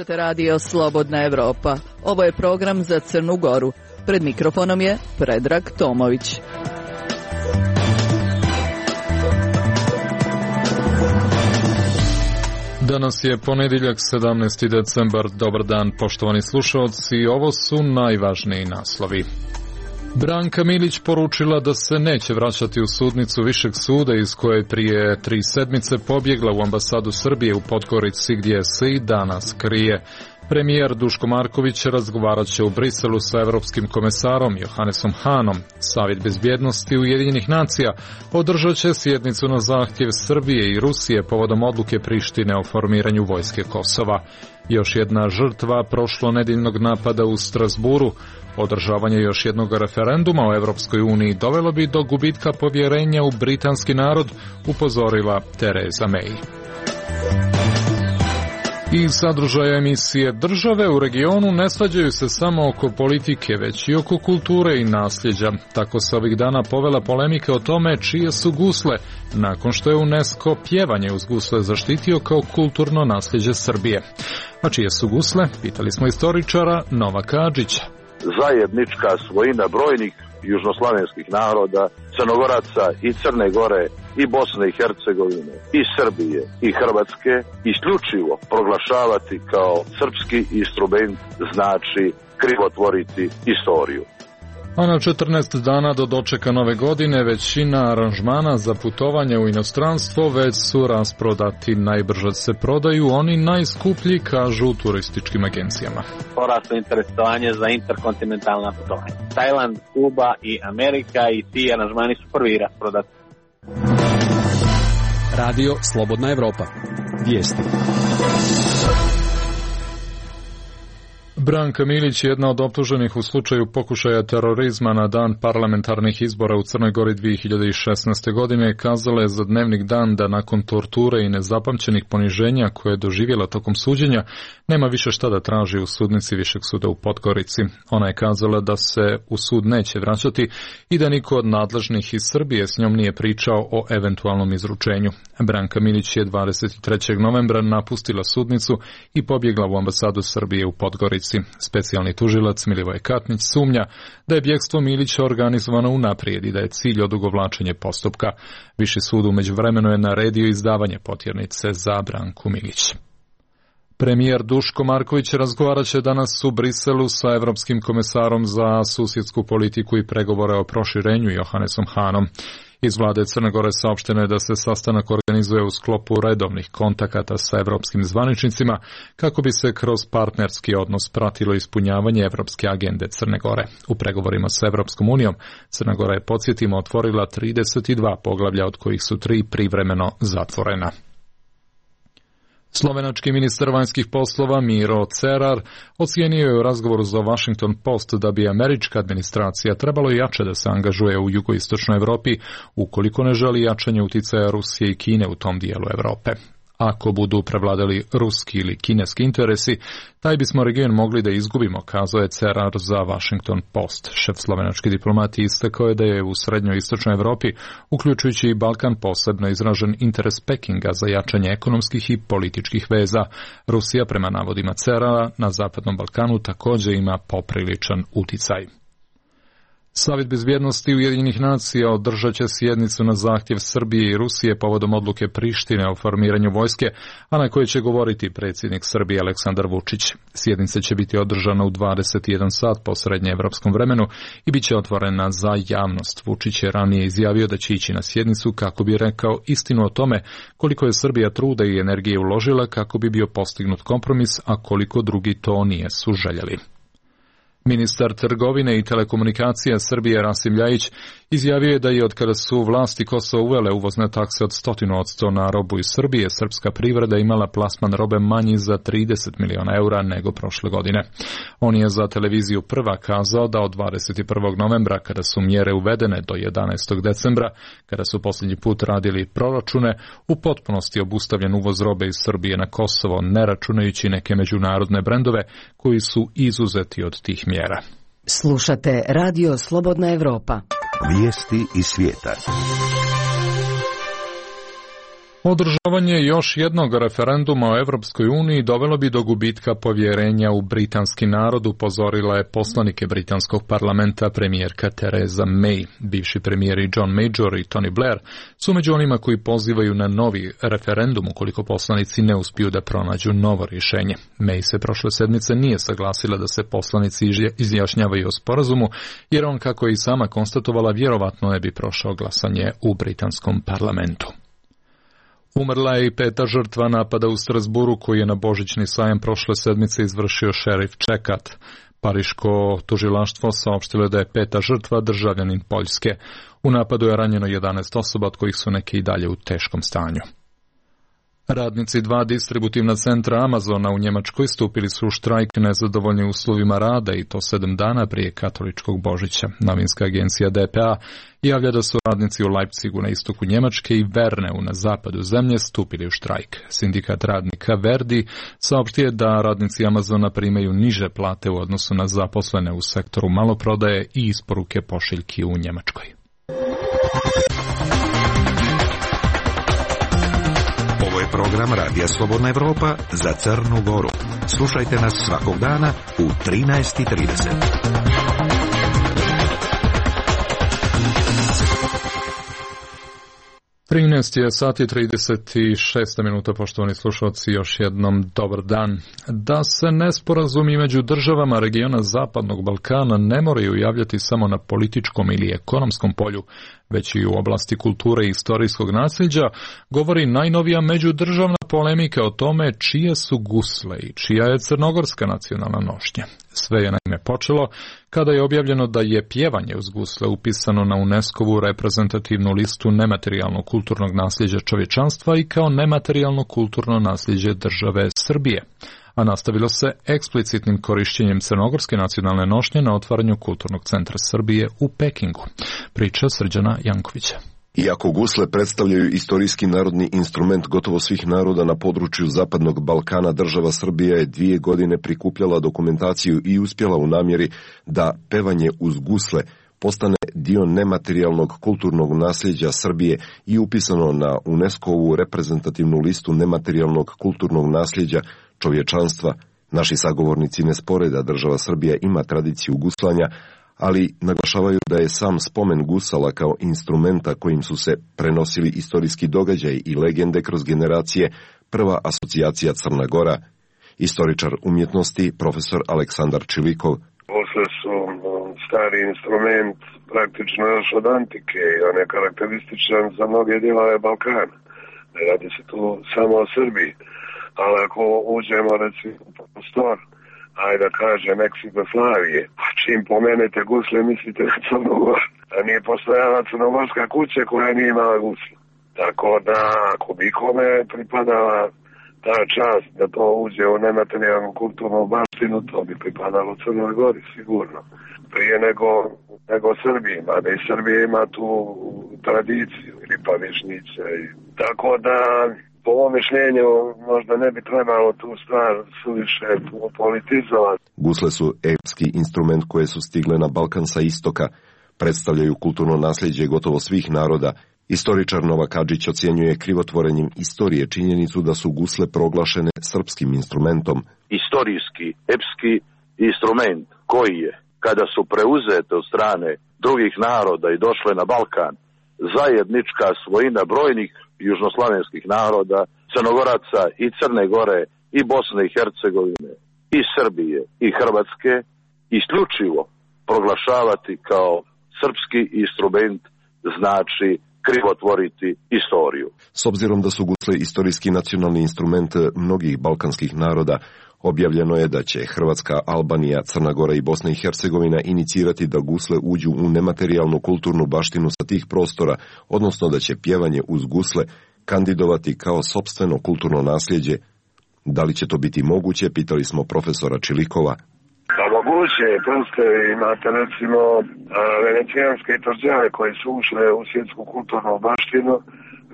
Slušate radio Slobodna Evropa. Ovo je program za Crnu Goru. Pred mikrofonom je Predrag Tomović. Danas je ponedjeljak, 17. decembar. Dobar dan, poštovani slušalci. Ovo su najvažniji naslovi. Branka Milić poručila da se neće vraćati u sudnicu Višeg suda iz koje prije 3 sedmice pobjegla u ambasadu Srbije u Podgorici gdje se i danas krije. Premijer Duško Marković razgovarat će u Briselu sa Evropskim komesarom Johannesom Hanom. Savjet bezbjednosti Ujedinjenih nacija održat će sjednicu na zahtjev Srbije i Rusije povodom odluke Prištine o formiranju vojske Kosova. Još jedna žrtva prošlonedjeljnog napada u Strasburu. Održavanje još jednog referenduma o Evropskoj uniji dovelo bi do gubitka povjerenja u britanski narod, upozorila Theresa May. I sadržaja emisije Države u regionu ne svađaju se samo oko politike, već i oko kulture i nasljeđa. Tako se ovih dana povela polemika o tome čije su gusle, nakon što je UNESCO pjevanje uz gusle zaštitio kao kulturno nasljeđe Srbije. A čije su gusle? Pitali smo istoričara Novaka Adžića. Zajednička svojina brojnih južnoslavenskih naroda, Crnogoraca i Crne Gore i Bosne i Hercegovine i Srbije i Hrvatske isključivo proglašavati kao srpski instrument znači krivotvoriti istoriju. A na 14 dana do dočeka nove godine većina aranžmana za putovanje u inostranstvo već su rasprodati. Najbrže se prodaju oni najskuplji, kažu u turističkim agencijama. Poraslo interesovanje za interkontinentalna putovanja. Tajland, Kuba i Amerika i ti aranžmani su prvi rasprodati. Radio Slobodna Evropa. Vijesti. Branka Milić je jedna od optuženih u slučaju pokušaja terorizma na dan parlamentarnih izbora u Crnoj Gori 2016. godine kazala je za Dnevnik Dan da nakon torture i nezapamćenih poniženja koje je doživjela tokom suđenja nema više šta da traži u sudnici Višeg suda u Podgorici. Ona je kazala da se u sud neće vraćati i da niko od nadležnih iz Srbije s njom nije pričao o eventualnom izručenju. Branka Milić je 23. novembra napustila sudnicu i pobjegla u ambasadu Srbije u Podgorici. Specijalni tužilac Milivoje Katnić sumnja da je bjegstvo Milića organizovano unaprijed i da je cilj odugovlačenje postupka. Viši sud u međuvremenu je naredio izdavanje potjernice za Branku Milić. Premijer Duško Marković razgovarat će danas u Briselu sa Evropskim komesarom za susjedsku politiku i pregovore o proširenju Johannesom Hanom. Iz vlade Crne Gore saopšteno je da se sastanak organizuje u sklopu redovnih kontakata sa evropskim zvaničnicima kako bi se kroz partnerski odnos pratilo ispunjavanje evropske agende Crne Gore. U pregovorima sa Evropskom unijom Crna Gora je, podsjetimo, otvorila 32 poglavlja, od kojih su 3 privremeno zatvorena. Slovenački ministar vanjskih poslova Miro Cerar ocijenio je u razgovoru za Washington Post da bi američka administracija trebalo jače da se angažuje u jugoistočnoj Evropi ukoliko ne želi jačanje uticaja Rusije i Kine u tom dijelu Evrope. Ako budu prevladali ruski ili kineski interesi, taj bismo region mogli da izgubimo, kazao je Cerar za Washington Post. Šef slovenački diplomati istakao je da je u srednjoj istočnoj Evropi, uključujući i Balkan, posebno izražen interes Pekinga za jačanje ekonomskih i političkih veza. Rusija, prema navodima Cerara, na Zapadnom Balkanu također ima popriličan uticaj. Savjet bezbjednosti Ujedinjenih nacija održat će sjednicu na zahtjev Srbije i Rusije povodom odluke Prištine o formiranju vojske, a na kojoj će govoriti predsjednik Srbije Aleksandar Vučić. Sjednica će biti održana u 21 sat po srednjeevropskom vremenu i bit će otvorena za javnost. Vučić je ranije izjavio da će ići na sjednicu kako bi rekao istinu o tome koliko je Srbija truda i energije uložila kako bi bio postignut kompromis, a koliko drugi to nijesu željeli. Ministar trgovine i telekomunikacija Srbije Rasim Ljajić izjavio je da je od kada su vlasti Kosova uvele uvozne takse od 100% na robu iz Srbije, srpska privreda imala plasman robe manji za 30 miliona eura nego prošle godine. On je za televiziju Prva kazao da od 21. novembra, kada su mjere uvedene, do 11. decembra, kada su posljednji put radili proračune, u potpunosti obustavljen uvoz robe iz Srbije na Kosovo, ne računajući neke međunarodne brendove koji su izuzeti od tih mjera. Slušate Radio Slobodna Evropa. Vijesti iz svijeta. Održavanje još jednog referenduma o Evropskoj uniji dovelo bi do gubitka povjerenja u britanski narod, upozorila je poslanike britanskog parlamenta premijerka Theresa May. Bivši premijeri John Major i Tony Blair su među onima koji pozivaju na novi referendum ukoliko poslanici ne uspiju da pronađu novo rješenje. May se prošle sedmice nije saglasila da se poslanici izjašnjavaju o sporazumu, jer on, kako je i sama konstatovala, vjerovatno ne bi prošao glasanje u britanskom parlamentu. Umrla je i 5. žrtva napada u Strasburu koji je na božićni sajam prošle sedmice izvršio šerif Čekat. Pariško tužilaštvo saopštilo je da je 5. žrtva državljanin Poljske. U napadu je ranjeno 11 osoba, od kojih su neke i dalje u teškom stanju. Radnici 2 distributivna centra Amazona u Njemačkoj stupili su u štrajk nezadovoljni uslovima rada i to 7 dana prije katoličkog Božića. Novinska agencija DPA javlja da su radnici u Leipzigu na istoku Njemačke i Werneu na zapadu zemlje stupili u štrajk. Sindikat radnika Verdi saopštio da radnici Amazona primaju niže plate u odnosu na zaposlene u sektoru maloprodaje i isporuke pošiljki u Njemačkoj. Ovo je program Radija Slobodna Evropa za Crnu Goru. Slušajte nas svakog dana u 13:30. Je sati 36 minuta, poštovani slušalci, još jednom dobar dan. Da se nesporazumi među državama regiona Zapadnog Balkana ne moraju javljati samo na političkom ili ekonomskom polju, već i u oblasti kulture i istorijskog nasljeđa, govori najnovija međudržavna polemika o tome čije su gusle i čija je crnogorska nacionalna nošnja. Sve je naime počelo kada je objavljeno da je pjevanje uz gusle upisano na UNESCO-vu reprezentativnu listu nematerijalnog kulturnog nasljeđa čovječanstva i kao nematerijalno kulturno nasljeđe države Srbije, a nastavilo se eksplicitnim korišćenjem crnogorske nacionalne nošnje na otvaranju Kulturnog centra Srbije u Pekingu. Priča Srđana Jankovića. Iako gusle predstavljaju istorijski narodni instrument gotovo svih naroda na području Zapadnog Balkana, država Srbija je 2 godine prikupljala dokumentaciju i uspjela u namjeri da pevanje uz gusle postane dio nematerijalnog kulturnog nasljeđa Srbije i upisano na UNESCO-vu reprezentativnu listu nematerijalnog kulturnog nasljeđa čovječanstva. Naši sagovornici ne spore da država Srbija ima tradiciju guslanja, ali naglašavaju da je sam spomen gusala kao instrumenta kojim su se prenosili istorijski događaj i legende kroz generacije prva asocijacija Crna Gora. Istoričar umjetnosti profesor Aleksandar Čilikov. Gusle su stari instrument praktično još od antike i on je karakterističan za mnoge dijelove Balkana. Ne radi se tu samo o Srbiji, ali ako uđemo recimo u prostor, ajde da kažem, ex-Jugoslavije, čim pomenete gusle mislite na Crnu Goru, a nije postojala crnogorska kuća koja nije imala gusle. Tako da ako bi kome pripadala ta čast da to uđe u nematerijalnu kulturnu baštinu, to bi pripadalo Crnoj Gori sigurno. Prije nego Srbiji, mada i Srbija ima tu tradiciju ili pavišnice. Tako da po ovom mišljenju možda ne bi trebalo tu stvar suviše politizovati. Gusle su epski instrument koje su stigle na Balkan sa istoka, predstavljaju kulturno nasljeđe gotovo svih naroda. Istoričar Novak Hadžić ocjenjuje krivotvorenjem istorije činjenicu da su gusle proglašene srpskim instrumentom. Istorijski, epski instrument koji je, kada su preuzete od strane drugih naroda i došle na Balkan, zajednička svojina brojnih južnoslavenskih naroda, Crnogoraca i Crne Gore i Bosne i Hercegovine i Srbije i Hrvatske, isključivo proglašavati kao srpski instrument znači krivotvoriti istoriju. S obzirom da su gusle istorijski nacionalni instrument mnogih balkanskih naroda, objavljeno je da će Hrvatska, Albanija, Crna Gora i Bosna i Hercegovina inicirati da gusle uđu u nematerijalnu kulturnu baštinu sa tih prostora, odnosno da će pjevanje uz gusle kandidovati kao sopstveno kulturno nasljeđe. Da li će to biti moguće, pitali smo profesora Čilikova. Da, moguće je, prosto imate recimo venecijanske tvrđave koje su ušle u svjetsku kulturnu baštinu,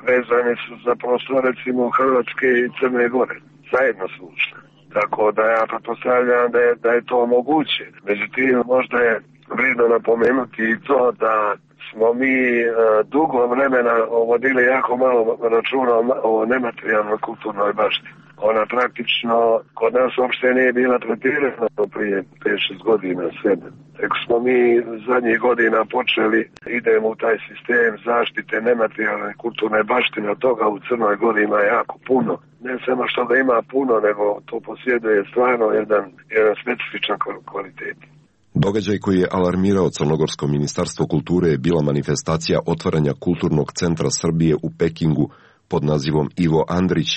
vezane su za prostor recimo Hrvatske i Crne Gore, zajedno su ušle. Tako da ja pretpostavljam da je to moguće. Međutim, možda je vrijedno napomenuti i to da smo mi dugo vremena vodili jako malo računa o nematerijalnoj kulturnoj baštini. Ona praktično kod nas uopšte nije bila tretirana prije 5-6 godina, 7. Tek smo mi zadnjih godina počeli, idemo u taj sistem zaštite nematerijalne kulturne baštine, od toga u Crnoj Gori ima jako puno. Ne samo što ga ima puno, nego to posjeduje stvarno jedan specifičan kvalitet. Događaj koji je alarmirao Crnogorsko ministarstvo kulture je bila manifestacija otvaranja Kulturnog centra Srbije u Pekingu pod nazivom Ivo Andrić,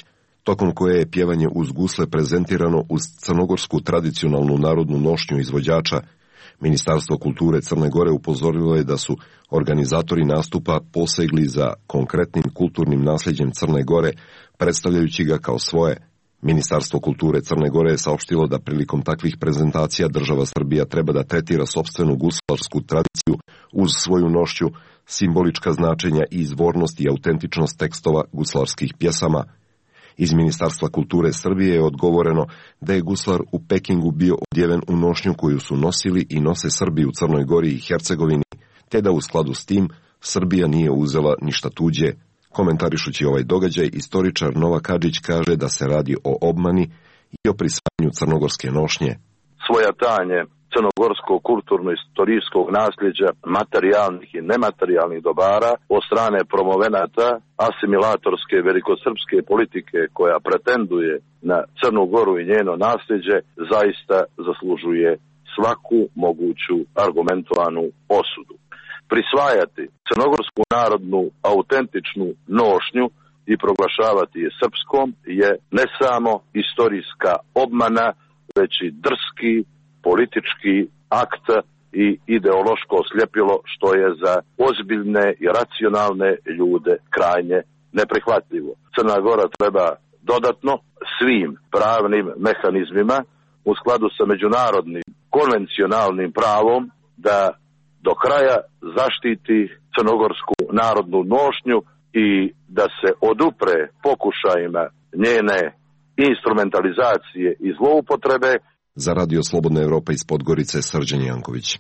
tokom koje je pjevanje uz gusle prezentirano uz crnogorsku tradicionalnu narodnu nošnju izvođača. Ministarstvo kulture Crne Gore upozorilo je da su organizatori nastupa posegli za konkretnim kulturnim nasljeđem Crne Gore, predstavljajući ga kao svoje. Ministarstvo kulture Crne Gore je saopštilo da prilikom takvih prezentacija država Srbija treba da tretira sopstvenu guslarsku tradiciju uz svoju nošću, simbolička značenja i izvornost i autentičnost tekstova guslarskih pjesama. Iz Ministarstva kulture Srbije je odgovoreno da je guslar u Pekingu bio odjeven u nošnju koju su nosili i nose Srbi u Crnoj Gori i Hercegovini, te da u skladu s tim Srbija nije uzela ništa tuđe. Komentarišući ovaj događaj, istoričar Nova Kadžić kaže da se radi o obmani i o prisvajanju crnogorske nošnje. Svojatanje crnogorskog kulturno-istorijskog nasljeđa, materijalnih i nematerijalnih dobara od strane promovenata asimilatorske velikosrpske politike koja pretenduje na Crnu Goru i njeno nasljeđe zaista zaslužuje svaku moguću argumentovanu osudu. Prisvajati crnogorsku narodnu autentičnu nošnju i proglašavati je srpskom je ne samo istorijska obmana, već i drski politički akt i ideološko sljepilo što je za ozbiljne i racionalne ljude krajnje neprihvatljivo. Crna Gora treba dodatno svim pravnim mehanizmima u skladu sa međunarodnim konvencionalnim pravom da do kraja zaštiti crnogorsku narodnu nošnju i da se odupre pokušajima njene instrumentalizacije i zloupotrebe. Za Radio Slobodna Evropa iz Podgorice, Srđan Janković.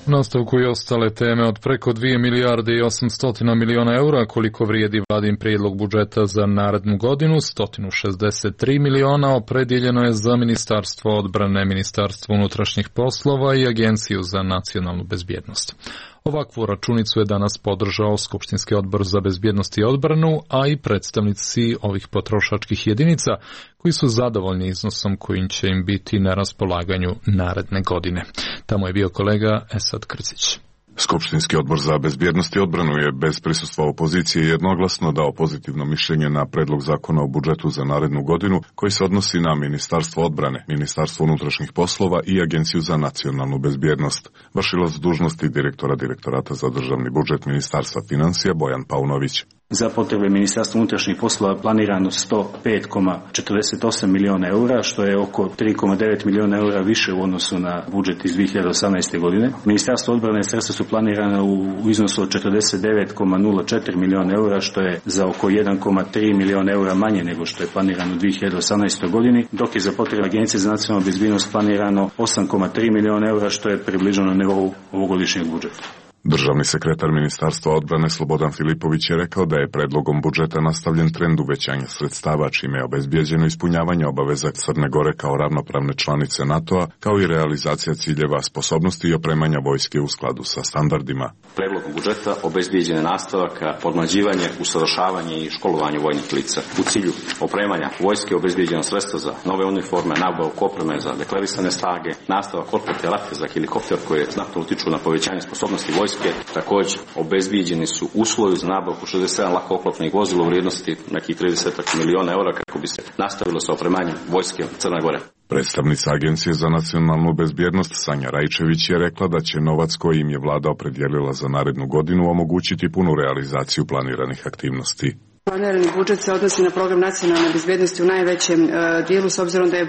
U nastavku i ostale teme. Od preko 2 milijarde i 800 miliona eura koliko vrijedi vladin prijedlog budžeta za narednu godinu, 163 miliona opredjeljeno je za Ministarstvo odbrane, Ministarstvo unutrašnjih poslova i Agenciju za nacionalnu bezbjednost. Ovakvu računicu je danas podržao Skupštinski odbor za bezbjednost i odbranu, a i predstavnici ovih potrošačkih jedinica koji su zadovoljni iznosom kojim će im biti na raspolaganju naredne godine. Tamo je bio kolega Esad Krcić. Skupštinski odbor za bezbjednost i odbranu je bez prisustva opozicije jednoglasno dao pozitivno mišljenje na predlog zakona o budžetu za narednu godinu koji se odnosi na Ministarstvo odbrane, Ministarstvo unutrašnjih poslova i Agenciju za nacionalnu bezbjednost. Vršilac dužnosti direktora Direktorata za državni budžet Ministarstva financija Bojan Paunović. Za potrebe Ministarstva unutrašnjih poslova planirano 105,48 milijuna eura, što je oko 3,9 milijuna eura više u odnosu na budžet iz 2018. godine. Ministarstvo odbrane sredstva su planirana u iznosu od 49,04 milijuna eura, što je za oko 1,3 milijuna eura manje nego što je planirano u 2018. godini, dok je za potrebe Agencije za nacionalnu bezbjednost planirano 8,3 milijuna eura, što je približeno nivou ovogodišnjeg budžeta. Državni sekretar Ministarstva odbrane Slobodan Filipović je rekao da je predlogom budžeta nastavljen trend uvećanja sredstava, čime je obezbijeđeno ispunjavanje obaveza Crne Gore kao ravnopravne članice NATO-a, kao i realizacija ciljeva sposobnosti i opremanja vojske u skladu sa standardima. Predlogom budžeta obezbijeđen je nastavak podmlađivanje, usavršavanje i školovanje vojnih lica. U cilju opremanja vojske obezbijeđeno sredstva za nove uniforme, nabavku opreme za deklarisane snage, nastavak otplate rate za helikopter koje znatno utiču na povećanje sposobnosti vojske. Također obezbijeđeni su uslovi za nabavku 67 lahkooklopnih vozila u vrijednosti nekih 30 miliona eura kako bi se nastavilo sa opremanjem vojske Crne Gore. Predstavnica Agencije za nacionalnu bezbjednost Sanja Rajčević je rekla da će novac koji im je vlada opredijelila za narednu godinu omogućiti punu realizaciju planiranih aktivnosti. Planirani budžet se odnosi na program nacionalne bezbjednosti u najvećem dijelu, s obzirom da je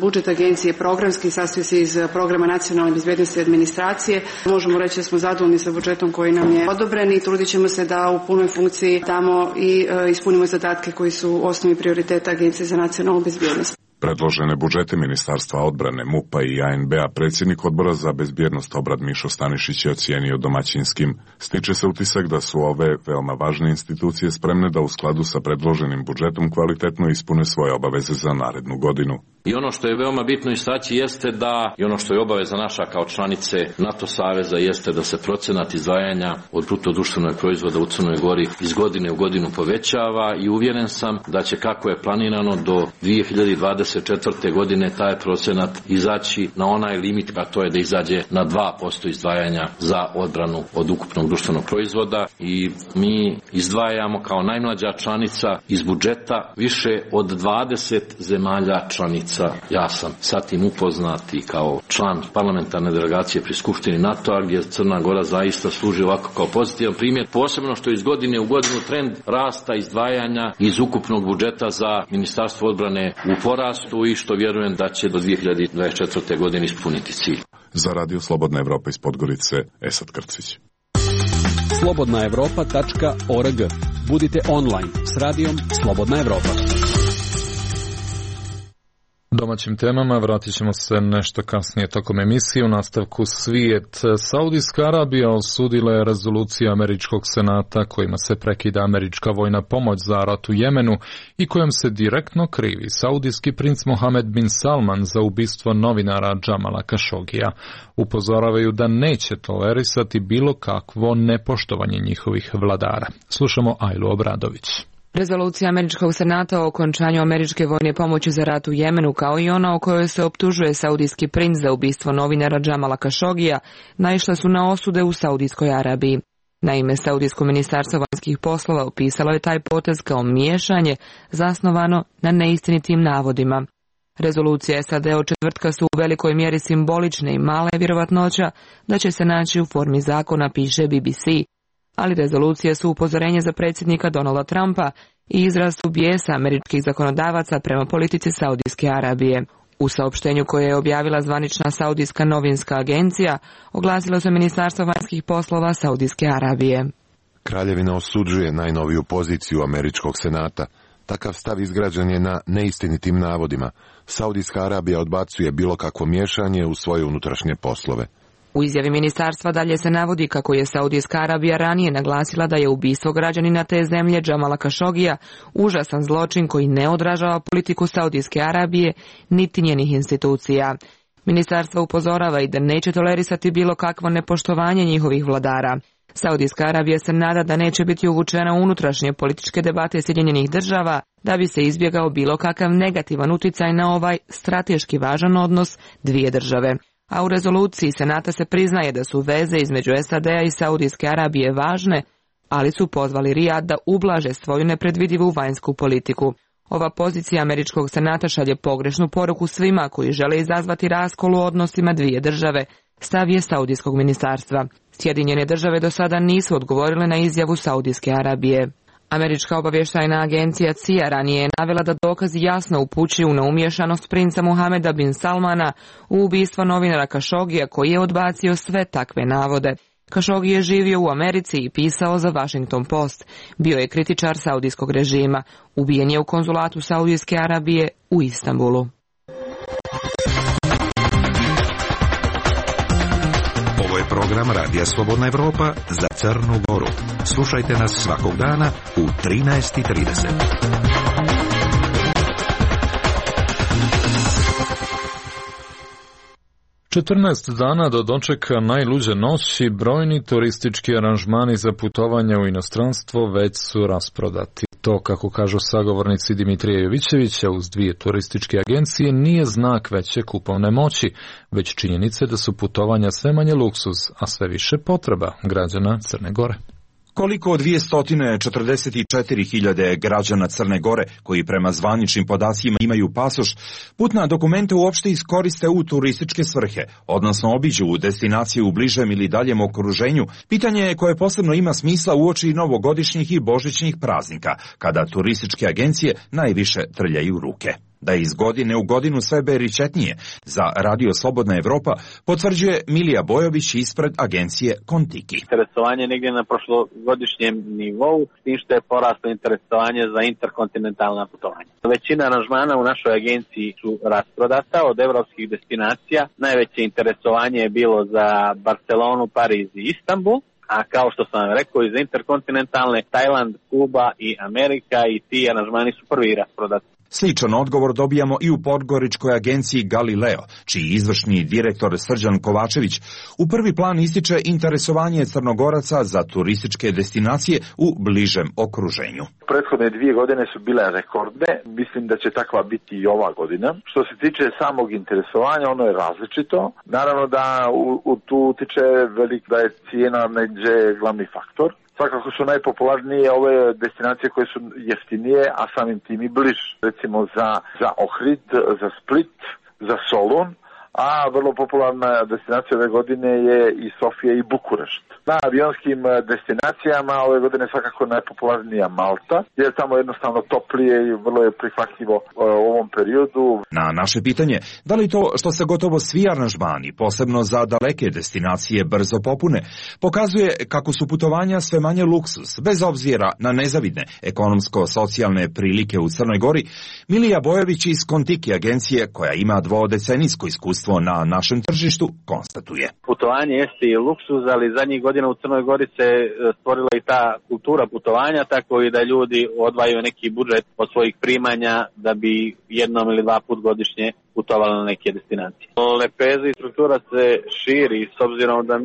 budžet agencije programski, sastoji se iz programa nacionalne bezbjednosti i administracije. Možemo reći da smo zadovoljni sa budžetom koji nam je odobren i trudit ćemo se da u punoj funkciji damo i ispunimo zadatke koji su osnovni prioritet Agencije za nacionalnu bezbjednost. Predložene budžete Ministarstva odbrane, MUP-a i ANB-a predsjednik Odbora za bezbjednost Obrad Mišo Stanišić je ocijenio domaćinskim. Stiče se utisak da su ove veoma važne institucije spremne da u skladu sa predloženim budžetom kvalitetno ispune svoje obaveze za narednu godinu. I ono što je veoma bitno istaći jeste da, i ono što je obaveza naša kao članice NATO saveza jeste da se procenat izdvajanja od bruto društvenog proizvoda u Crnoj Gori iz godine u godinu povećava i uvjeren sam da će, kako je planirano, do 2024. godine taj procenat izaći na onaj limit, a to je da izađe na 2% izdvajanja za odbranu od ukupnog društvenog proizvoda i mi izdvajamo kao najmlađa članica iz budžeta više od 20 zemalja članica. Ja sam sa tim upoznat i kao član parlamentarne delegacije pri Skupštini NATO-a gdje Crna Gora zaista služi ovako kao pozitivan primjer, posebno što iz godine u godinu trend rasta izdvajanja iz ukupnog budžeta za Ministarstvo odbrane u porastu i što vjerujem da će do 2024. godine ispuniti cilj. Za Radio Slobodna Evropa iz Podgorice, Esad Krcić. slobodnaevropa.org. Budite online s radijom Slobodna Evropa. Domaćim temama vratit ćemo se nešto kasnije tokom emisije. U nastavku svijet. Saudijska Arabija osudila je rezoluciju američkog senata kojima se prekida američka vojna pomoć za rat u Jemenu i kojom se direktno krivi saudijski princ Mohamed bin Salman za ubistvo novinara Džamala Kašogija. Upozoravaju da neće tolerisati bilo kakvo nepoštovanje njihovih vladara. Slušamo Ajlu Obradović. Rezolucija američkog senata o okončanju američke vojne pomoći za rat u Jemenu, kao i ona o kojoj se optužuje saudijski princ za ubistvo novinara Džamala Kašogija, naišle su na osude u Saudijskoj Arabiji. Naime, Saudijsko ministarstvo vanjskih poslova opisalo je taj potez kao miješanje zasnovano na neistinitim navodima. Rezolucije SAD od četvrtka su u velikoj mjeri simbolične i mala je vjerovatnoća da će se naći u formi zakona, piše BBC. Ali rezolucije su upozorenje za predsjednika Donalda Trumpa i izraz su bijesa američkih zakonodavaca prema politici Saudijske Arabije. U saopštenju koje je objavila zvanična saudijska novinska agencija, oglasilo se Ministarstvo vanjskih poslova Saudijske Arabije. Kraljevina osuđuje najnoviju poziciju američkog senata. Takav stav izgrađen je na neistinitim navodima. Saudijska Arabija odbacuje bilo kakvo miješanje u svoje unutrašnje poslove. U izjavi ministarstva dalje se navodi kako je Saudijska Arabija ranije naglasila da je ubistvo građanina te zemlje Džamala Kašogija užasan zločin koji ne odražava politiku Saudijske Arabije niti njenih institucija. Ministarstvo upozorava i da neće tolerisati bilo kakvo nepoštovanje njihovih vladara. Saudijska Arabija se nada da neće biti uvučena u unutrašnje političke debate Sjedinjenih Država da bi se izbjegao bilo kakav negativan utjecaj na ovaj strateški važan odnos dvije države. A u rezoluciji Senata se priznaje da su veze između SAD-a i Saudijske Arabije važne, ali su pozvali Rijad da ublaže svoju nepredvidivu vanjsku politiku. Ova pozicija američkog Senata šalje pogrešnu poruku svima koji žele izazvati raskol u odnosima dvije države, stav je Saudijskog ministarstva. Sjedinjene Države do sada nisu odgovorile na izjavu Saudijske Arabije. Američka obavještajna agencija CIA ranije je navela da dokazi jasno upućuju na umiješanost princa Mohameda bin Salmana u ubistvo novinara Kašogija koji je odbacio sve takve navode. Kašogi je živio u Americi i pisao za Washington Post. Bio je kritičar saudijskog režima. Ubijen je u konzulatu Saudijske Arabije u Istanbulu. Ovo je program Radija Slobodna Evropa za Crnu Goru. Slušajte nas svakog dana u 13:30. Četrnaest dana do dočeka najluđe noći, brojni turistički aranžmani za putovanja u inostranstvo već su rasprodati. To, kako kažu sagovornici Dimitrija Jovićevića uz dvije turističke agencije, nije znak veće kupovne moći, već činjenice da su putovanja sve manje luksuz, a sve više potreba građana Crne Gore. Koliko 244.000 građana Crne Gore, koji prema zvaničnim podacima imaju pasoš, putna dokumenta uopšte iskoriste u turističke svrhe, odnosno obiđu u destinaciju u bližem ili daljem okruženju, pitanje je koje posebno ima smisla uoči novogodišnjih i božićnih praznika, kada turističke agencije najviše trljaju ruke. Da je iz godine u godinu sve beričetnije za Radio Slobodna Evropa potvrđuje Milija Bojović ispred agencije Kontiki. Interesovanje negdje na prošlogodišnjem nivou, s tim što je poraslo interesovanje za interkontinentalna putovanja. Većina aranžmana u našoj agenciji su rasprodata od evropskih destinacija. Najveće interesovanje je bilo za Barcelonu, Pariz i Istanbul. A kao što sam vam rekao, iz interkontinentalne Tajland, Kuba i Amerika i ti aranžmani su prvi rasprodati. Sličan odgovor dobijamo i u podgoričkoj agenciji Galileo, čiji izvršni direktor Srđan Kovačević u prvi plan ističe interesovanje Crnogoraca za turističke destinacije u bližem okruženju. Prethodne 2 godine su bile rekordne, mislim da će takva biti i ova godina. Što se tiče samog interesovanja, ono je različito. Naravno da tu utiče da je cijena neđe glavni faktor. Svakako su najpopularnije ove destinacije koje su jeftinije, a samim tim i bliže. Recimo za Ohrid, za Split, za Solun, a vrlo popularna destinacija ove godine je i Sofija i Bukurešt. Na avionskim destinacijama ove godine svakako najpopularnija Malta, jer je tamo jednostavno toplije i vrlo je prihvatljivo u ovom periodu. Na naše pitanje, da li to što se gotovo svi aranžmani, posebno za daleke destinacije, brzo popune, pokazuje kako su putovanja sve manje luksus, bez obzira na nezavidne ekonomsko-socijalne prilike u Crnoj Gori. Milija Bojović iz Kontiki agencije, koja ima dvodecenijsko iskustvo na našem tržištu, konstatuje. Putovanje jeste i luksuz, ali zadnjih godina u Crnoj Gori se stvorila i ta kultura putovanja, tako i da ljudi odvajaju neki budžet od svojih primanja da bi jednom ili 2 put godišnje putovali na neke destinacije. Lepeza i struktura se širi s obzirom da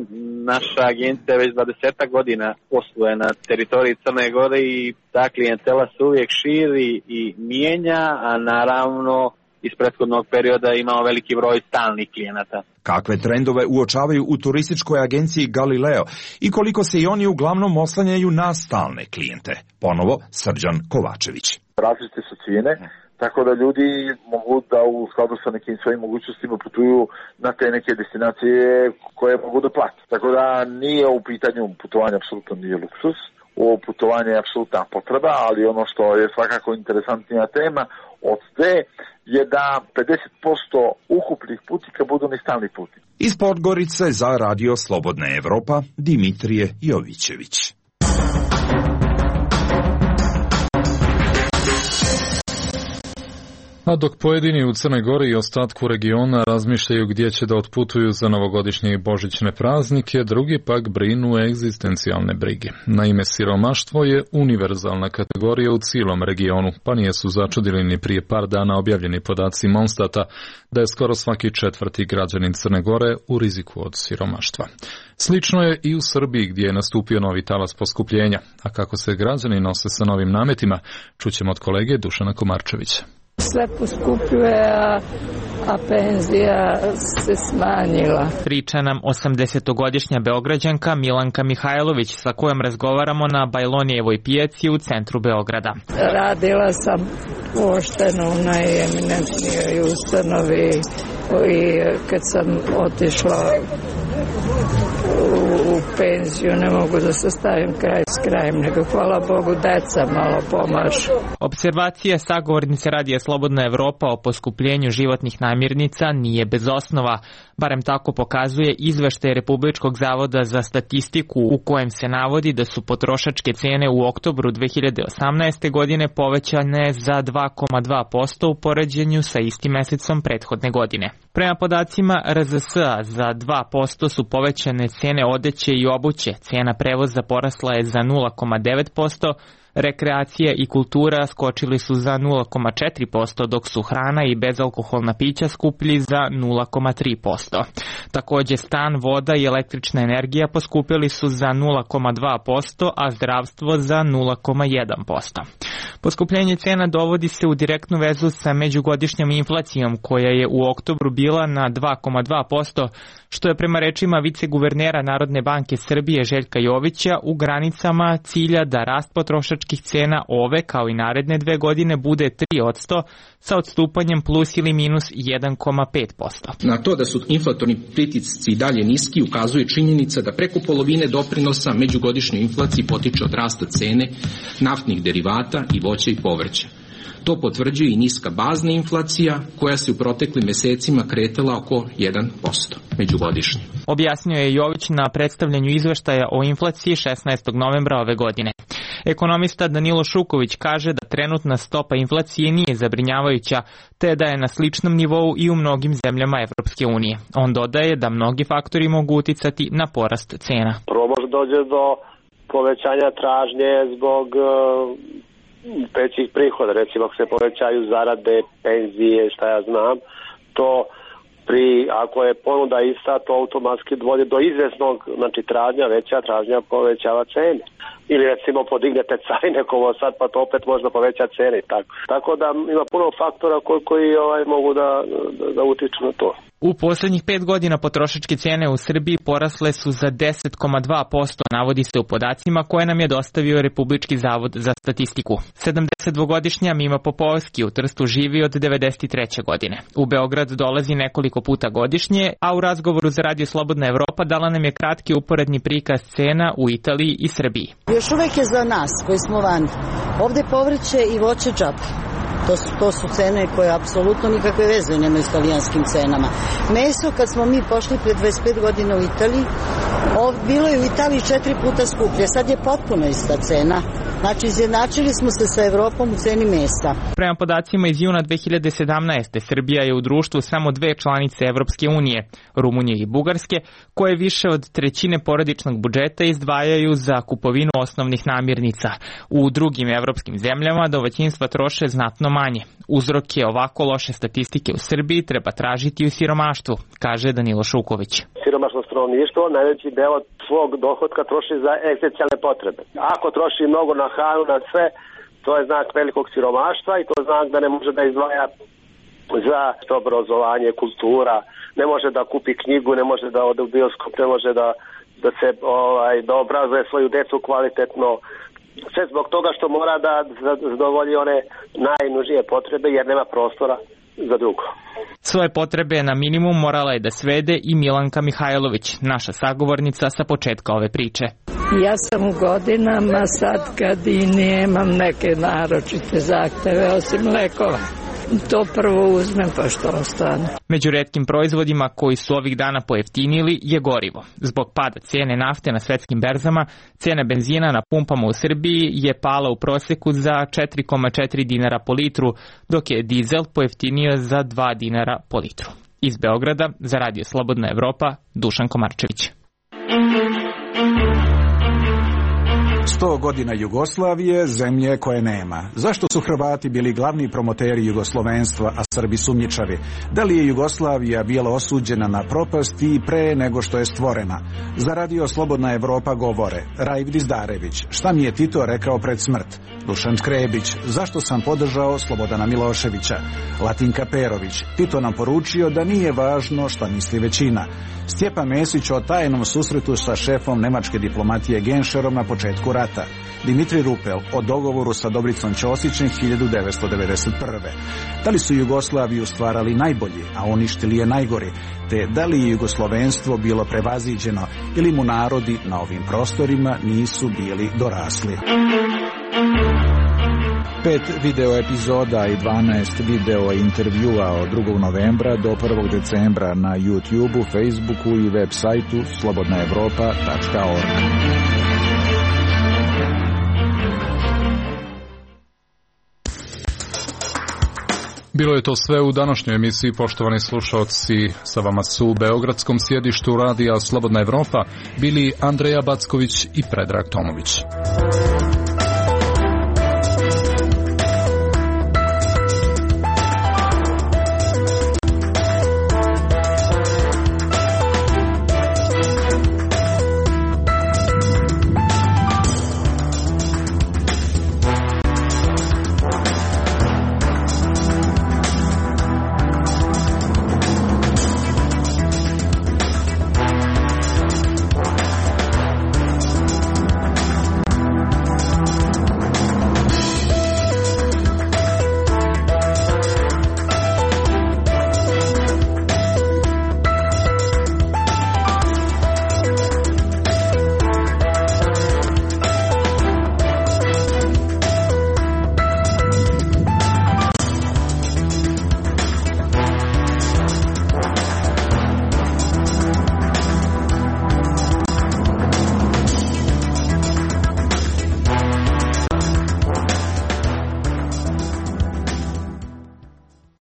naša agencija već 20 godina posluje na teritoriji Crne Gore i ta klijentela se uvijek širi i mijenja, a naravno iz prethodnog perioda imamo veliki broj stalnih klijenata. Kakve trendove uočavaju u turističkoj agenciji Galileo i koliko se i oni uglavnom oslanjaju na stalne klijente? Ponovo Srđan Kovačević. Različite su cijene, tako da ljudi mogu da u skladu sa nekim svojim mogućnostima putuju na te neke destinacije koje mogu da plate. Tako da nije u pitanju putovanja, apsolutno nije luksus. Ovo putovanje je apsolutna potreba, ali ono što je svakako interesantnija tema od te je da 50% ukupnih putnika budu ni stalni putnici. Iz Podgorice za Radio Slobodna Evropa, Dimitrije Jovićević. A dok pojedini u Crnoj Gori i ostatku regiona razmišljaju gdje će da otputuju za novogodišnje i božićne praznike, drugi pak brinu egzistencijalne brige. Naime, siromaštvo je univerzalna kategorija u cijelom regionu, pa nije su začudili ni prije par dana objavljeni podaci Monstata da je skoro svaki 4. građanin Crne Gore u riziku od siromaštva. Slično je i u Srbiji gdje je nastupio novi talas poskupljenja, a kako se građani nose sa novim nametima, čućemo od kolege Dušana Komarčevića. Sve poskupljuje, a penzija se smanjila. Priča nam 80-godišnja Beograđanka Milanka Mihajlović, sa kojom razgovaramo na Bajlonijevoj pijaci u centru Beograda. Radila sam pošteno u najeminentnijoj ustanovi i kad sam otišla u penziju ne mogu da se stavim kraj s krajem, nego hvala Bogu deca malo pomažu. Observacija sagovornice Radija Slobodna Evropa o poskupljenju životnih namirnica nije bez osnova, barem tako pokazuje izveštaj Republičkog zavoda za statistiku u kojem se navodi da su potrošačke cene u oktobru 2018. godine povećane za 2,2% u poređenju sa istim mesecom prethodne godine. Prema podacima RZS-a za 2% su povećane cene odeće i obuće, cena prevoza porasla je za 0,9%, rekreacija i kultura skočili su za 0,4%, dok su hrana i bezalkoholna pića skuplji za 0,3%. Također stan, voda i električna energija poskupili su za 0,2%, a zdravstvo za 0,1%. Poskupljenje cena dovodi se u direktnu vezu sa međugodišnjom inflacijom koja je u oktobru bila na 2,2%, što je prema rečima viceguvernera Narodne banke Srbije Željka Jovića u granicama cilja da rast potrošačkih cena ove kao i naredne 2 godine bude 3% sa odstupanjem plus ili minus 1,5%. Na to da su inflatorni pritisci i dalje niski ukazuje činjenica da preko polovine doprinosa međugodišnjoj inflaciji potiče od rasta cene naftnih derivata i voća i povrća. To potvrđuje i niska bazna inflacija koja se u proteklim mesecima kretala oko 1% međugodišnje. Objasnio je Jović na predstavljanju izveštaja o inflaciji 16. novembra ove godine. Ekonomista Danilo Šuković kaže da trenutna stopa inflacije nije zabrinjavajuća, te da je na sličnom nivou i u mnogim zemljama Evropske unije. On dodaje da mnogi faktori mogu uticati na porast cena. Prvo može dođe do povećanja tražnje zbog većih prihoda, recimo ako se povećaju zarade, penzije, šta ja znam, to ako je ponuda ista, to automatski dovodi do izvesnog, znači veća tražnja povećava cene. Ili recimo podignete carine kovo sad, pa to opet možda poveća cene. Tako da ima puno faktora koji mogu da utiču na to. U posljednjih 5 godina potrošačke cijene u Srbiji porasle su za 10,2%, navodi se u podacima koje nam je dostavio Republički zavod za statistiku. 72-godišnja Mima Popovski u Trstu živi od 93. godine. U Beograd dolazi nekoliko puta godišnje, a u razgovoru za Radio Slobodna Evropa dala nam je kratki uporedni prikaz cena u Italiji i Srbiji. Još uvijek je za nas koji smo van. Ovdje povrće i voće džabe. To su cene koje apsolutno nikakve veze nemaju s italijanskim cenama. Meso, kad smo mi pošli pred 25 godina u Italiji, bilo je u Italiji 4 puta skuplje. Sad je potpuno ista cena. Znači, izjednačili smo se sa Evropom u ceni mesa. Prema podacima iz juna 2017. Srbija je u društvu samo 2 članice Evropske unije, Rumunije i Bugarske, koje više od trećine porodičnog budžeta izdvajaju za kupovinu osnovnih namirnica. U drugim evropskim zemljama domaćinstva troše znatno manje. Uzrok je ovako loše statistike u Srbiji treba tražiti u siromaštvu, kaže Danilo Šuković. Siromašno stanovništvo najveći deo svog dohotka troši za egzistencijalne potrebe. Ako troši mnogo na hranu, na sve, to je znak velikog siromaštva i to je znak da ne može da izdvaja za obrazovanje, kultura, ne može da kupi knjigu, ne može da ode u bioskop, ne može da obrazuje svoju decu kvalitetno. Sve zbog toga što mora da zadovolji one najnužnije potrebe jer nema prostora za drugo. Svoje potrebe na minimum morala je da svede i Milanka Mihajlović, naša sagovornica sa početka ove priče. Ja sam u godinama sad kad i nemam neke naročite zahteve osim lekova. To prvo uzmem pa što ostane. Među retkim proizvodima koji su ovih dana pojeftinili je gorivo. Zbog pada cijene nafte na svetskim berzama, cijena benzina na pumpama u Srbiji je pala u proseku za 4,4 dinara po litru, dok je dizel pojeftinio za 2 dinara po litru. Iz Beograda za Radio Slobodna Evropa, Dušan Komarčević. 100 godina Jugoslavije, zemlje koje nema. Zašto su Hrvati bili glavni promoteri jugoslovenstva, a Srbi sumnjičavi? Da li je Jugoslavija bila osuđena na propast i pre nego što je stvorena? Za Radio Slobodna Evropa govore Raif Dizdarević, šta mi je Tito rekao pred smrt? Dušan Škrebić, zašto sam podržao Slobodana Miloševića? Latinka Perović, Tito nam poručio da nije važno šta misli većina. Stjepan Mesić o tajnom susretu sa šefom nemačke diplomatije Genšerom na početku rata. Dimitri Rupel o dogovoru sa Dobricom Ćosićem 1991. Da li su Jugoslaviju stvarali najbolji, a uništili je najgori, te da li je jugoslovenstvo bilo prevaziđeno ili mu narodi na ovim prostorima nisu bili dorasli. 5 video epizoda i 12 video intervjua od 2. novembra do 1. decembra na YouTubeu, Facebooku i web sajtu slobodnaevropa.org. Bilo je to sve u današnjoj emisiji, poštovani slušalci. Sa vama su u beogradskom sjedištu Radija Slobodna Evropa bili Andreja Backović i Predrag Tomović.